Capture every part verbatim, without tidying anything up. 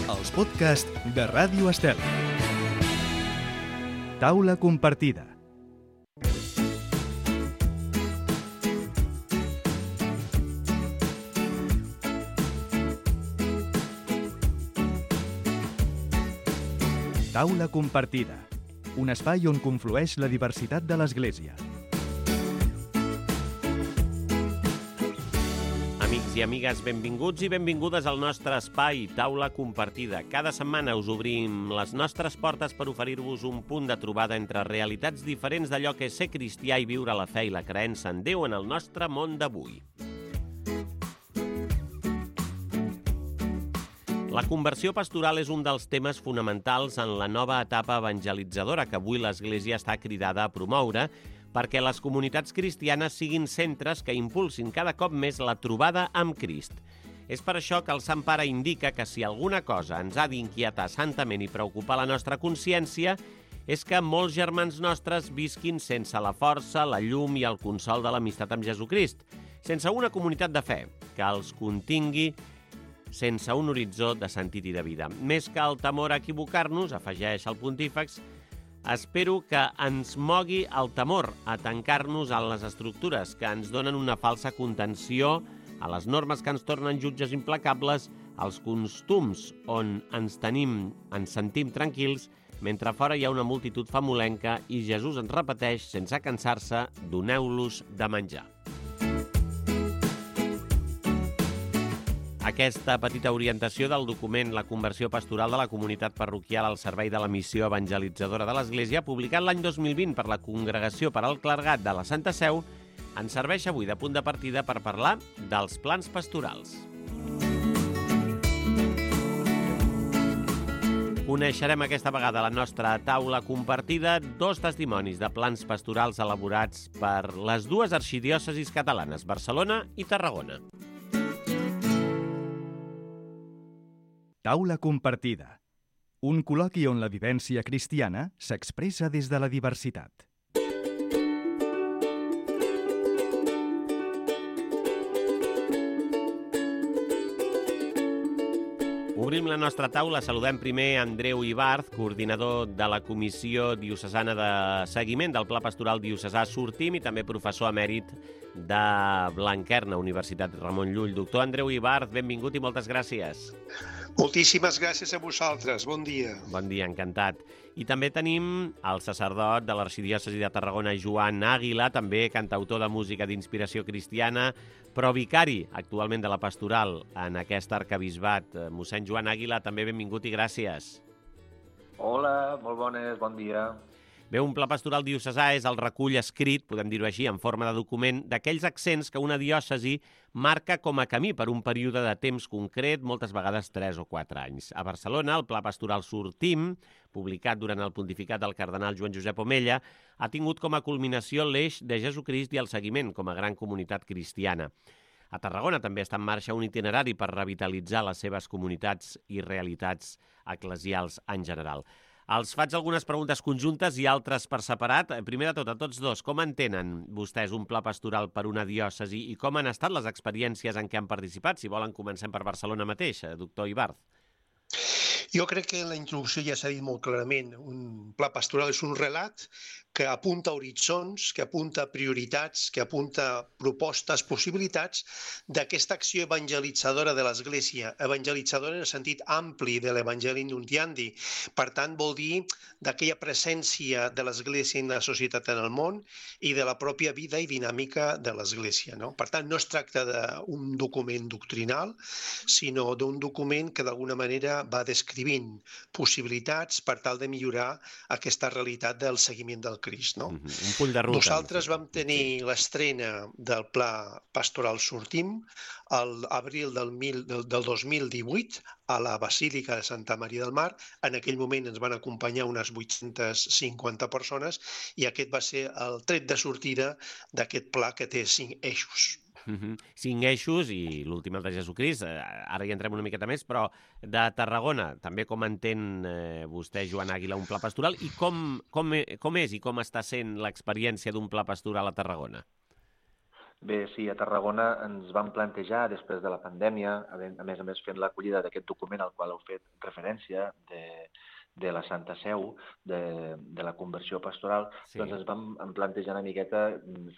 Els podcasts de Ràdio Estel. Taula compartida. Taula compartida. Un espai on conflueix la diversitat de l'Església. Amics i amigues, benvinguts i benvingudes al nostre espai Taula Compartida. Cada setmana us obrim les nostres portes per oferir-vos un punt de trobada entre realitats diferents d'allò que és ser cristià i viure la fe i la creença en Déu en el nostre món d'avui. La conversió pastoral és un dels temes fonamentals en la nova etapa evangelitzadora que avui l'Església està cridada a promoure, perquè les comunitats cristianes siguin centres que impulsin cada cop més la trobada amb Crist. És per això que el Sant Pare indica que si alguna cosa ens ha d'inquietar santament i preocupar la nostra consciència és que molts germans nostres visquin sense la força, la llum i el consol de l'amistat amb Jesucrist, sense una comunitat de fe que els contingui, sense un horitzó de sentit i de vida. Més que el temor a equivocar-nos, afegeix el pontífex, espero que ens mogui el temor a tancar-nos a les estructures que ens donen una falsa contenció, a les normes que ens tornen jutges implacables, als costums on ens tenim, ens sentim tranquils, mentre fora hi ha una multitud famolenca i Jesús ens repeteix, sense cansar-se, doneu-los de menjar. Aquesta petita orientació del document La conversió pastoral de la comunitat parroquial al servei de la missió evangelitzadora de l'Església, publicat l'any dos mil vint per la Congregació per al Clergat de la Santa Seu, ens serveix avui de punt de partida per parlar dels plans pastorals. Coneixerem aquesta vegada a la nostra taula compartida dos testimonis de plans pastorals elaborats per les dues arxidiòcesis catalanes, Barcelona i Tarragona. Taula compartida. Un col·loqui on la vivència cristiana s'expressa des de la diversitat. Obrim la nostra taula. Saludem primer Andreu Ibarz, coordinador de la Comissió Diocesana de Seguiment del Pla Pastoral Diocesà Sortim i també professor emèrit de Blanquerna, Universitat Ramon Llull. Doctor Andreu Ibarz, benvingut i moltes gràcies. Moltíssimes gràcies a vosaltres. Bon dia. Bon dia, encantat. I també tenim el sacerdot de l'Arxidiòcesi de Tarragona, Joan Àguila, també cantautor de música d'inspiració cristiana, però vicari actualment de la pastoral en aquest arquebisbat. Mossèn Joan Àguila, també benvingut i gràcies. Hola, molt bones, bon dia. Bé, un pla pastoral diocesà és el recull escrit, podem dir-ho així, en forma de document, d'aquells accents que una diòcesi marca com a camí per un període de temps concret, moltes vegades tres o quatre anys. A Barcelona, el Pla Pastoral Sortim, publicat durant el pontificat del cardenal Joan Josep Omella, ha tingut com a culminació l'eix de Jesucrist i el seguiment com a gran comunitat cristiana. A Tarragona també està en marxa un itinerari per revitalitzar les seves comunitats i realitats eclesials en general. Els faig algunes preguntes conjuntes i altres per separat. Primer de tot, a tots dos, com entenen vostès un pla pastoral per una diòcesi i com han estat les experiències en què han participat? Si volen, comencem per Barcelona mateix, doctor Ibarz. Jo crec que en la introducció ja s'ha dit molt clarament. Un pla pastoral és un relat que apunta horitzons, que apunta prioritats, que apunta propostes, possibilitats d'aquesta acció evangelitzadora de l'Església, evangelitzadora en el sentit ampli de l'Evangeli Nuntiandi. Per tant, vol dir d'aquella presència de l'Església en la societat en el món i de la pròpia vida i dinàmica de l'Església, no? Per tant, no es tracta d'un document doctrinal, sinó d'un document que d'alguna manera va descrivint possibilitats per tal de millorar aquesta realitat del seguiment del Crist, no? Mm-hmm. Un punt de ruta. Nosaltres vam tenir l'estrena del Pla Pastoral Sortim a l'abril del, del, del dos mil divuit a la Basílica de Santa Maria del Mar. En aquell moment ens van acompanyar unes vuit-centes cinquanta persones i aquest va ser el tret de sortida d'aquest pla que té cinc eixos. Uh-huh. Cinc eixos i l'últim el de Jesucrist, ara hi entrem una miqueta més, però de Tarragona, també com entén eh, vostè, Joan Àguila, un pla pastoral i com, com, com és i com està sent l'experiència d'un pla pastoral a Tarragona? Bé, sí, a Tarragona ens vam plantejar, després de la pandèmia, a més a més fent l'acollida d'aquest document al qual heu fet referència, de, de la Santa Seu, de, de la conversió pastoral, Sí. doncs ens vam plantejar una miqueta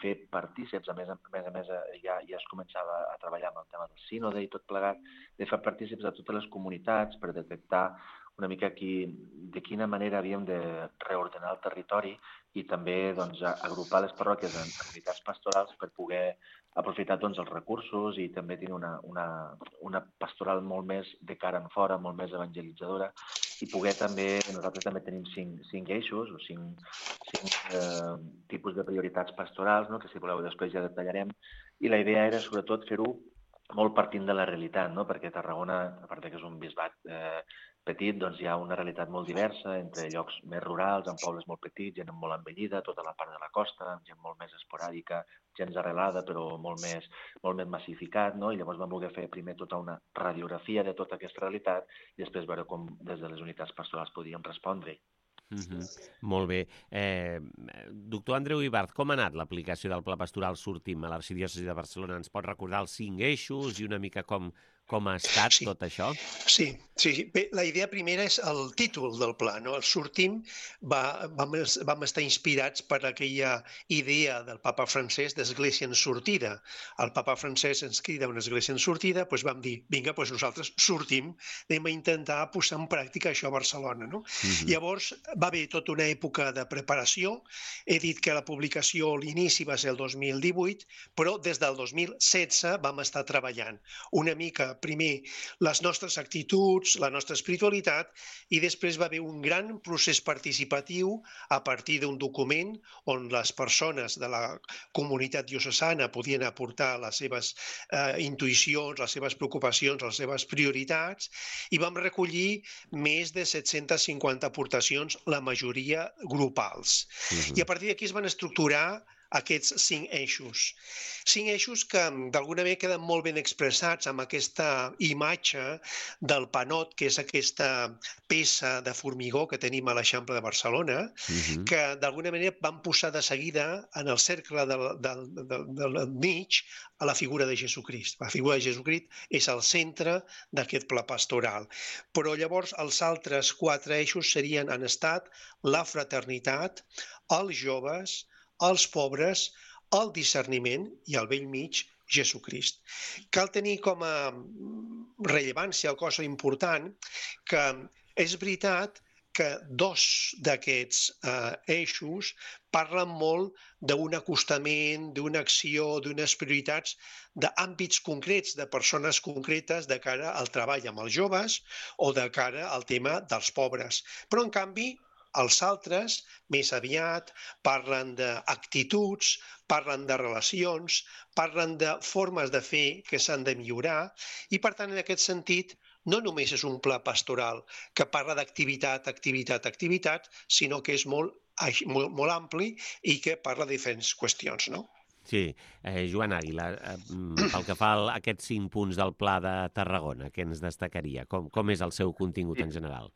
fer partíceps, a més a més, a més ja, ja es començava a treballar amb el tema del sínode i tot plegat, de fer partíceps a totes les comunitats per detectar una mica qui, de quina manera havíem de reordenar el territori i també doncs, agrupar les parròquies en unitats pastorals per poder aprofitar doncs, els recursos i també tenir una, una, una pastoral molt més de cara en fora, molt més evangelitzadora i poder també, nosaltres també tenim cinc, cinc eixos o cinc, cinc eh, tipus de prioritats pastorals, no? Que si voleu després ja detallarem, i la idea era sobretot fer-ho molt partint de la realitat, no? Perquè Tarragona, a part que és un bisbat eh, petit, doncs hi ha una realitat molt diversa entre llocs més rurals, amb pobles molt petits, gent molt envellida, tota la part de la costa, amb gent molt més esporàdica, gens arrelada però molt més, molt més massificat, no? I llavors vam voler fer primer tota una radiografia de tota aquesta realitat i després veure com des de les unitats pastorals podíem respondre. Mm-hmm. Molt bé. Eh, doctor Andreu Ibart, com ha anat l'aplicació del Pla Pastoral Sortim a l'Arxidiòcesi de Barcelona? Ens pot recordar els cinc eixos i una mica com, com ha estat Sí. tot això? Sí, sí. Bé, la idea primera és el títol del pla, no? El Sortim va, vam, vam estar inspirats per aquella idea del papa francès d'església en sortida. El papa francès ens crida una església en sortida, doncs vam dir, vinga, doncs nosaltres sortim, anem a intentar posar en pràctica això a Barcelona, no? Mm-hmm. Llavors va haver tota una època de preparació. He dit que la publicació, l'inici va ser el dos mil divuit, però des del dos mil setze vam estar treballant una mica, primer, les nostres actituds, la nostra espiritualitat, i després va haver un gran procés participatiu a partir d'un document on les persones de la comunitat diocesana podien aportar les seves eh, intuïcions, les seves preocupacions, les seves prioritats, i vam recollir més de set-centes cinquanta aportacions, la majoria grupals. Mm-hmm. I a partir d'aquí es van estructurar aquests cinc eixos. Cinc eixos que d'alguna manera queden molt ben expressats amb aquesta imatge del panot, que és aquesta peça de formigó que tenim a l'Eixample de Barcelona, Mm-hmm. que d'alguna manera van posar de seguida en el cercle del, del, del, del mig a la figura de Jesucrist. La figura de Jesucrist és el centre d'aquest pla pastoral. Però llavors els altres quatre eixos serien, han estat la fraternitat, els joves, els pobres, el discerniment i al vell mig, Jesucrist. Cal tenir com a rellevància, o cosa important, que és veritat que dos d'aquests eh, eixos parlen molt d'un acostament, d'una acció, d'unes prioritats d'àmbits concrets, de persones concretes de cara al treball amb els joves o de cara al tema dels pobres. Però, en canvi, els altres, més aviat, parlen d'actituds, parlen de relacions, parlen de formes de fer que s'han de millorar i, per tant, en aquest sentit, no només és un pla pastoral que parla d'activitat, activitat, activitat, sinó que és molt, molt, molt ampli i que parla de diferents qüestions, no? Sí. Eh, Joan Àguila, eh, pel que fa a aquests cinc punts del Pla de Tarragona, què ens destacaria? Com, com és el seu contingut en general?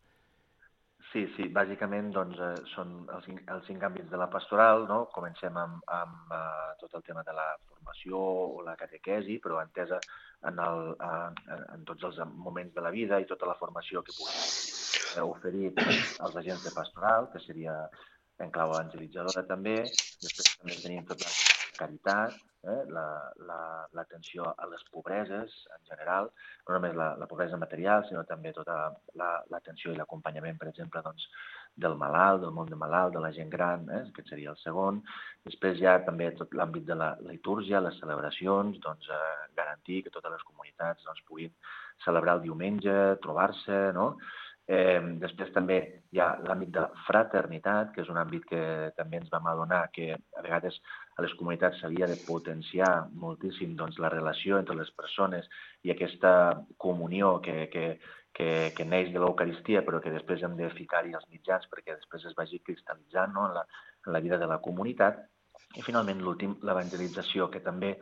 Sí, sí, bàsicament doncs, eh, són els, els cinc àmbits de la pastoral, no? Comencem amb, amb uh, tot el tema de la formació o la catequesi, però entesa en, el, uh, en tots els moments de la vida i tota la formació que puguem uh, oferir als agents de pastoral, que seria en clau evangelitzadora també. Després també tenim tota la caritat, eh? l'atenció la, la, a les pobreses en general, no només la, la pobresa material, sinó també tota l'atenció la, i l'acompanyament, per exemple, doncs, del malalt, del món de malalt, de la gent gran, eh? Aquest seria el segon. Després hi ha també tot l'àmbit de la litúrgia, les celebracions, doncs, eh, garantir que totes les comunitats doncs, puguin celebrar el diumenge, trobar-se, no? Eh, després també hi ha l'àmbit de la fraternitat, que és un àmbit que també ens vam adonar que a vegades a les comunitats s'havia de potenciar moltíssim doncs, la relació entre les persones i aquesta comunió que, que, que, que neix de l'Eucaristia, però que després hem de ficar-hi els mitjans perquè després es vagi cristal·litzant, no? en, la, en la vida de la comunitat. I finalment l'últim, l'evangelització, que també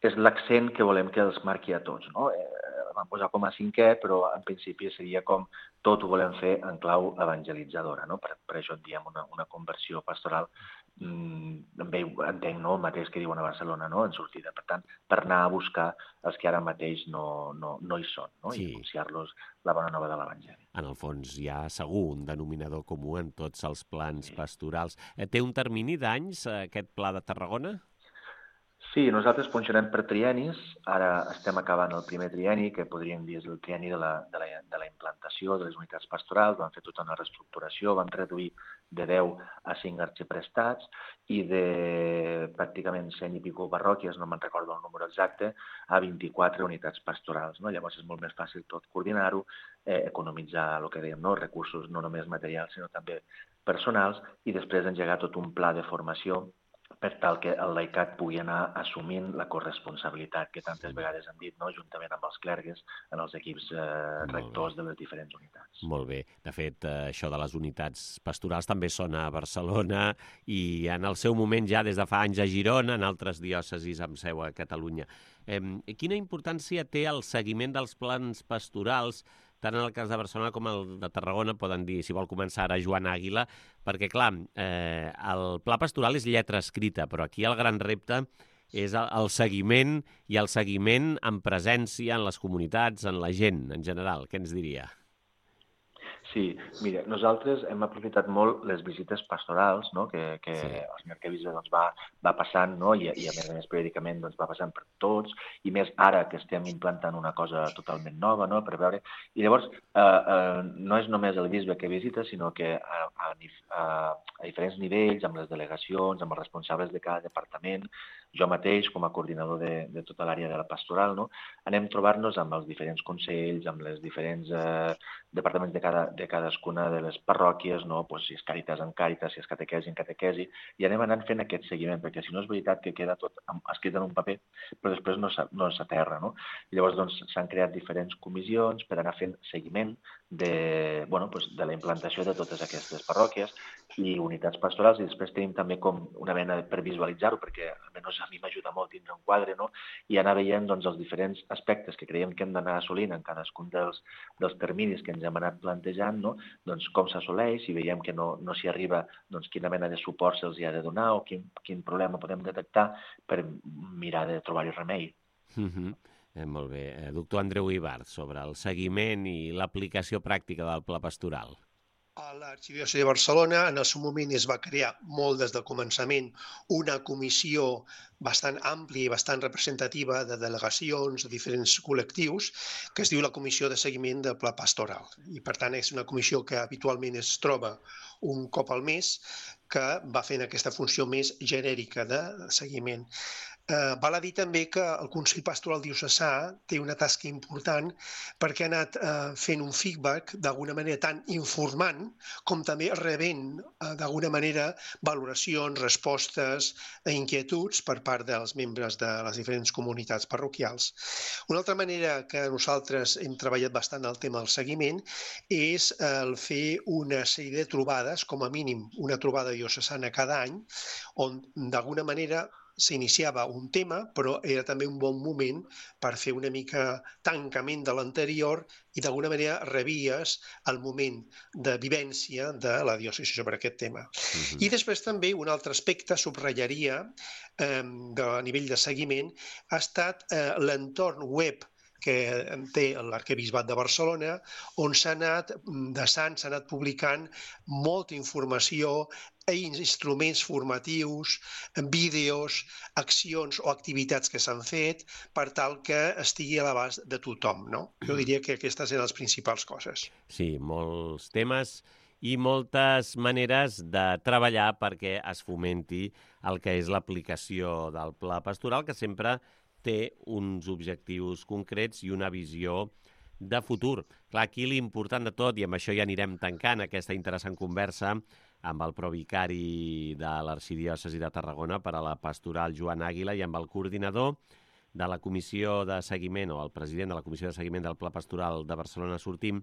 és l'accent que volem que els marqui a tots, no? Eh, vam posar com a cinquè, però en principi seria com tot ho volem fer en clau evangelitzadora, no? Per, per això en diem una, una conversió pastoral també entenc, no?, el mateix que diuen a Barcelona, no?, en sortida. Per tant, per anar a buscar els que ara mateix no, no, no hi són, no?, sí. I anunciar-los la bona nova de l'Evangeli. En el fons hi ha segur un denominador comú en tots els plans sí. pastorals. Té un termini d'anys aquest pla de Tarragona? Sí, nosaltres funcionem per triennis. Ara estem acabant el primer trienni, que podríem dir és el trienni de la, de la, de la implantació de les unitats pastorals. Vam fer tota una reestructuració, vam reduir de deu a cinc arxiprestats i de pràcticament cent i pico parròquies, no me'n recordo el número exacte, a vint-i-quatre unitats pastorals. No? Llavors és molt més fàcil tot coordinar-ho, eh, economitzar el que dèiem, no? Recursos no només materials, sinó també personals, i després engegar tot un pla de formació per tal que el laicat pugui anar assumint la corresponsabilitat que tantes vegades hem dit, no?, juntament amb els clergues, en els equips eh, rectors de les diferents unitats. Molt bé. De fet, eh, això de les unitats pastorals també sona a Barcelona i en el seu moment ja des de fa anys a Girona, en altres diòcesis amb seu a Catalunya. Eh, quina importància té el seguiment dels plans pastorals, tant en el cas de Barcelona com el de Tarragona, poden dir, si vol començar ara, Joan Àguila, perquè, clar, eh, el pla pastoral és lletra escrita, però aquí el gran repte és el, el seguiment i el seguiment en presència en les comunitats, en la gent, en general. Què ens diria? Sí, mira, nosaltres hem aprofitat molt les visites pastorals, no?, que, que sí. el senyor Arquebisbe doncs, va, va passant, no?, I, i a més a més periòdicament doncs, va passant per tots, i més ara que estem implantant una cosa totalment nova, no?, per veure... I llavors, eh, eh, no és només el bisbe que visita, sinó que a, a, a, a diferents nivells, amb les delegacions, amb els responsables de cada departament, jo mateix, com a coordinador de, de tota l'àrea de la pastoral, no?, anem trobar-nos amb els diferents consells, amb les diferents eh, departaments de, cada, de cadascuna de les parròquies, no?, pues, si és Càritas en Càritas, si és catequesi en catequesi, i anem anant fent aquest seguiment, perquè si no és veritat que queda tot escrit en un paper, però després no, no s'aterra, no? I llavors doncs, s'han creat diferents comissions per anar fent seguiment de, bueno, pues, de la implantació de totes aquestes parròquies i unitats pastorals, i després tenim també com una mena per visualitzar-ho, perquè almenys a mi m'ajuda molt tindre un quadre, no?, i anar veient doncs, els diferents aspectes que creiem que hem d'anar assolint en cadascun dels, dels terminis que ens hem anat plantejant, no?, doncs com s'assoleix, si veiem que no, no s'hi arriba, doncs quina mena de suport se'ls hi ha de donar o quin, quin problema podem detectar per mirar de trobar-hi remei. Mm-hmm. eh, molt bé. Eh, doctor Andreu Ibart, sobre el seguiment i l'aplicació pràctica del pla pastoral. A l'Arxidiòcesi de Barcelona, en el seu moment es va crear molt des del començament una comissió bastant àmplia i bastant representativa de delegacions de diferents col·lectius, que es diu la Comissió de Seguiment del Pla Pastoral. I, per tant, és una comissió que habitualment es troba un cop al mes, que va fent aquesta funció més genèrica de seguiment. Eh, val a dir també que el Consell Pastoral Diocesà té una tasca important perquè ha anat eh, fent un feedback d'alguna manera tant informant com també rebent eh, d'alguna manera valoracions, respostes a inquietuds per part dels membres de les diferents comunitats parroquials. Una altra manera que nosaltres hem treballat bastant el tema del seguiment és el fer una sèrie de trobades, com a mínim una trobada diocesana cada any, on d'alguna manera s'iniciava un tema, però era també un bon moment per fer una mica tancament de l'anterior i d'alguna manera revies el moment de vivència de la diòcesi sobre aquest tema. Uh-huh. I després també un altre aspecte, subratllaria, eh, de, a nivell de seguiment, ha estat eh, l'entorn web que té l'Arquebisbat de Barcelona, on s'ha anat desant, s'ha anat publicant molta informació, instruments formatius, vídeos, accions o activitats que s'han fet per tal que estigui a l'abast de tothom, no? Jo diria que aquestes eren les principals coses. Sí, molts temes i moltes maneres de treballar perquè es fomenti el que és l'aplicació del pla pastoral, que sempre té uns objectius concrets i una visió de futur. Clar, aquí l'important de tot, i amb això ja anirem tancant aquesta interessant conversa amb el provicari de l'Arxidiòcesi de Tarragona per a la pastoral, Joan Àguila, i amb el coordinador de la comissió de seguiment, o el president de la comissió de seguiment del Pla Pastoral de Barcelona Sortim,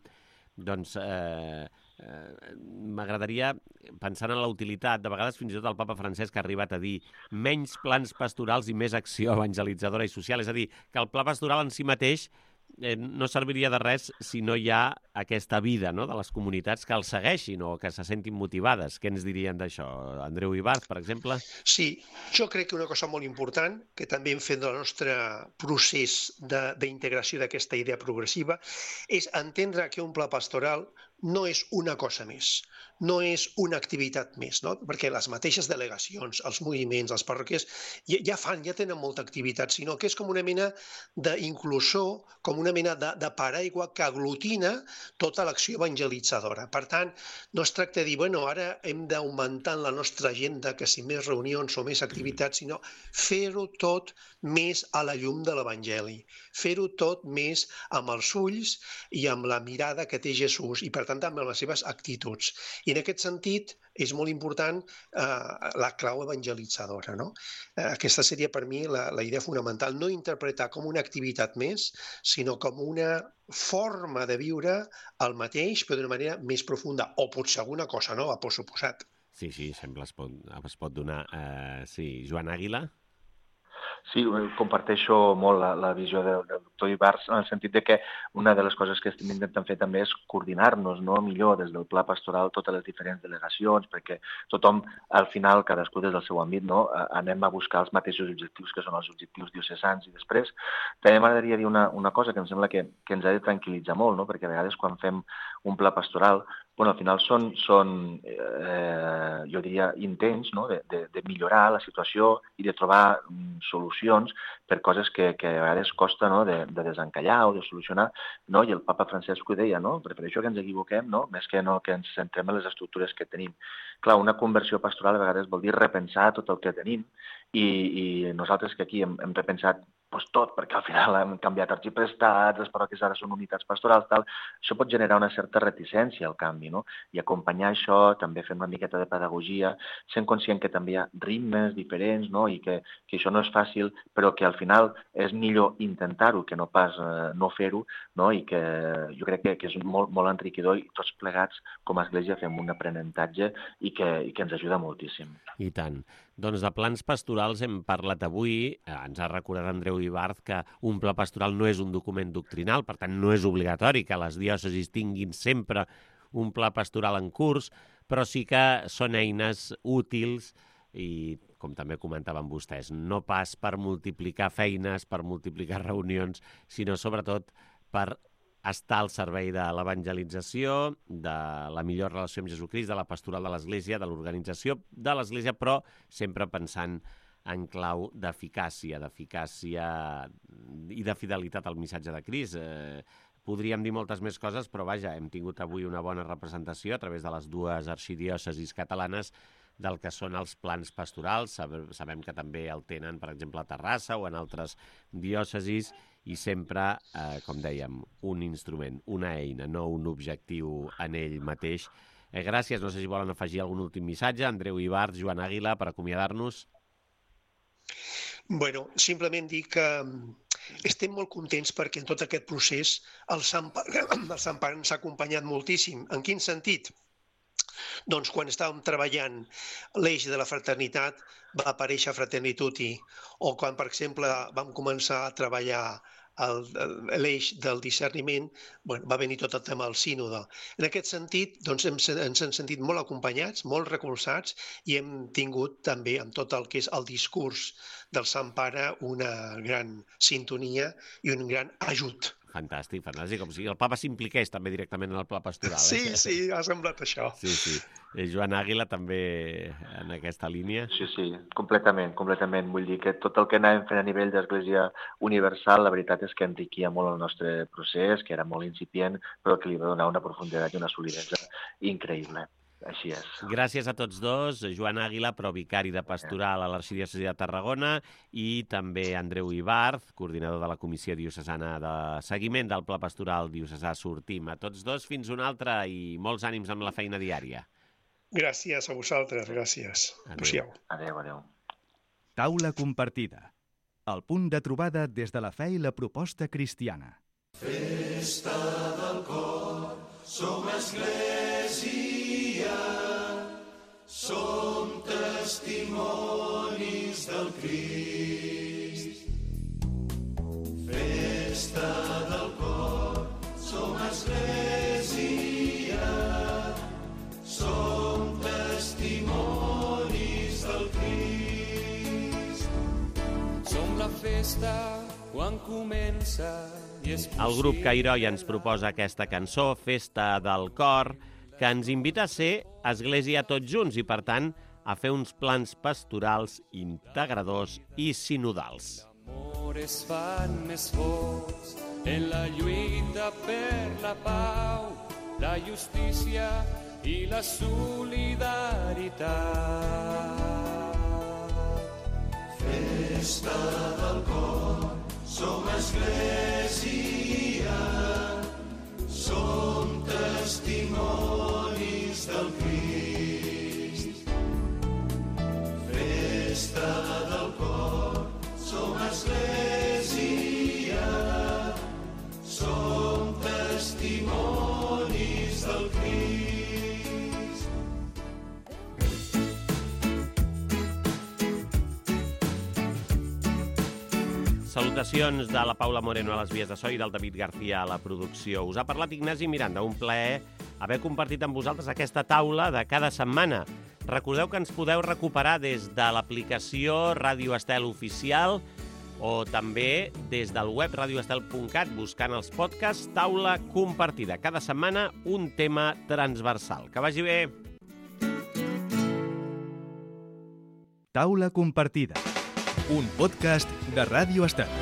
doncs eh, eh, m'agradaria, pensant en la utilitat, de vegades fins i tot el papa Francesc ha arribat a dir menys plans pastorals i més acció evangelitzadora i social, és a dir, que el pla pastoral en si mateix eh, no serviria de res si no hi ha aquesta vida, no?, de les comunitats que els segueixin o que se sentin motivades. Què ens dirien d'això? Andreu Ibarz, per exemple? Sí, jo crec que una cosa molt important, que també hem fet del nostre procés d'integració d'aquesta idea progressiva, és entendre que un pla pastoral no és una cosa més, no és una activitat més, no? Perquè les mateixes delegacions, els moviments, les parròquies, ja, ja fan, ja tenen molta activitat, sinó que és com una mena d'inclusor, com una mena de, de paraigua que aglutina tota l'acció evangelitzadora. Per tant, no es tracta de dir, bueno, ara hem d'augmentar en la nostra agenda que si més reunions o més activitats, sinó fer-ho tot més a la llum de l'Evangeli, fer-ho tot més amb els ulls i amb la mirada que té Jesús i, per tant, també amb les seves actituds. I en aquest sentit és molt important eh, la clau evangelitzadora, no? Eh, aquesta seria per mi la, la idea fonamental, no interpretar com una activitat més, sinó com una forma de viure el mateix, però d'una manera més profunda, o potser alguna cosa nova, per suposat. Sí, sí, sembla es pot, es pot donar. Uh, sí, Joan Àguila? Sí, comparteixo molt la, la visió del, del doctor Ibarz, en el sentit de que una de les coses que estem intentant fer també és coordinar-nos, no?, millor des del pla pastoral totes les diferents delegacions, perquè tothom, al final, cadascú des del seu àmbit, no?, anem a buscar els mateixos objectius que són els objectius diocesans. I després també m'agradaria dir una, una cosa que em sembla que, que ens ha de tranquil·litzar molt, no?, perquè a vegades quan fem un pla pastoral, bueno, al final són, són eh, jo diria, intents, no?, de, de, de millorar la situació i de trobar mm, solucions per coses que, que a vegades costa, no?, de, de desencallar o de solucionar, no? I el papa Francesc ho deia, no?, prefereixo que ens equivoquem, no?, més que no que ens centrem en les estructures que tenim. Clar, una conversió pastoral a vegades vol dir repensar tot el que tenim i, i nosaltres que aquí hem, hem repensat pues tot, perquè al final hem canviat arxiprestats, les parròquies ara són unitats pastorals, tal. Això pot generar una certa reticència al canvi, no? I acompanyar això, també fent una miqueta de pedagogia, sent conscient que també hi ha ritmes diferents, no?, i que, que això no és fàcil, però que al final és millor intentar-ho que no pas eh, no fer-ho, no?, i que jo crec que, que és molt, molt enriquidor i tots plegats com a Església fem un aprenentatge i que, i que ens ajuda moltíssim. I tant. Doncs de plans pastorals hem parlat avui. Ens ha recordat Andreu Ibarz que un pla pastoral no és un document doctrinal, per tant no és obligatori que les diòcesis tinguin sempre un pla pastoral en curs, però sí que són eines útils i, com també comentaven vostès, no pas per multiplicar feines, per multiplicar reunions, sinó sobretot per estar al servei de l'evangelització, de la millor relació amb Jesucrist, de la pastoral de l'Església, de l'organització de l'Església, però sempre pensant en clau d'eficàcia, d'eficàcia i de fidelitat al missatge de Crist. Eh, podríem dir moltes més coses, però vaja, hem tingut avui una bona representació a través de les dues arxidiòcesis catalanes del que són els plans pastorals. Sabem que també el tenen, per exemple, a Terrassa o en altres diòcesis, i sempre, eh, com dèiem, un instrument, una eina, no un objectiu en ell mateix. Eh, gràcies. No sé si volen afegir algun últim missatge. Andreu Ibarz, Joan Àguila, per acomiadar-nos. Bueno, simplement dir que estem molt contents perquè en tot aquest procés el Sant Pare, el Sant Pare ens ha acompanyat moltíssim. En quin sentit? Doncs quan estàvem treballant l'eix de la fraternitat va aparèixer Fraternituti, o quan, per exemple, vam començar a treballar l'eix del discerniment, bueno, va venir tot el tema del sínode. En aquest sentit, doncs, hem, ens hem sentit molt acompanyats, molt recolzats, i hem tingut també, amb tot el que és el discurs del Sant Pare, una gran sintonia i un gran ajut. Fantàstic, fantàstic. Com si el papa s'impliqués també directament en el pla pastoral. Eh? Sí, sí, ha semblat això. Sí, sí. Eh, Joan Àguila també en aquesta línia. Sí, sí, completament, completament. Vull dir que tot el que anàvem fent a nivell d'Església Universal, la veritat és que enriquia molt el nostre procés, que era molt incipient, però que li va donar una profunditat i una solidesa increïble. Així és. Gràcies a tots dos, Joan Àguila, provicari de pastoral a l'Arxidiòcesi de Tarragona, i també Andreu Ibarz, coordinador de la Comissió Diocesana de Seguiment del Pla Pastoral Diocesà Sortim. A tots dos, fins una altra, i molts ànims amb la feina diària. Gràcies a vosaltres, gràcies. Adéu. Adéu, adéu. Taula compartida. El punt de trobada des de la fe i la proposta cristiana. Festa del cor, som església, som testimonis del Crist. Festa del cor, festa quan comença i és possible... El grup Cairoi ens proposa aquesta cançó, Festa del Cor, que ens invita a ser església tots junts i, per tant, a fer uns plans pastorals integradors i sinodals. L'amor es fan més forts en la lluita per la pau, la justícia i la solidaritat. Festa del cor, som església, som testimonis del Crist. Festa del cor, som església, som testimonis del Crist. Salutacions de la Paula Moreno a les vies de so i del David García a la producció. Us ha parlat Ignasi Miranda, un plaer haver compartit amb vosaltres aquesta taula de cada setmana. Recordeu que ens podeu recuperar des de l'aplicació Ràdio Estel Oficial o també des del web radioestel punt cat buscant els podcasts Taula Compartida. Cada setmana un tema transversal. Que vagi bé! Taula Compartida, un podcast de Ràdio Estel.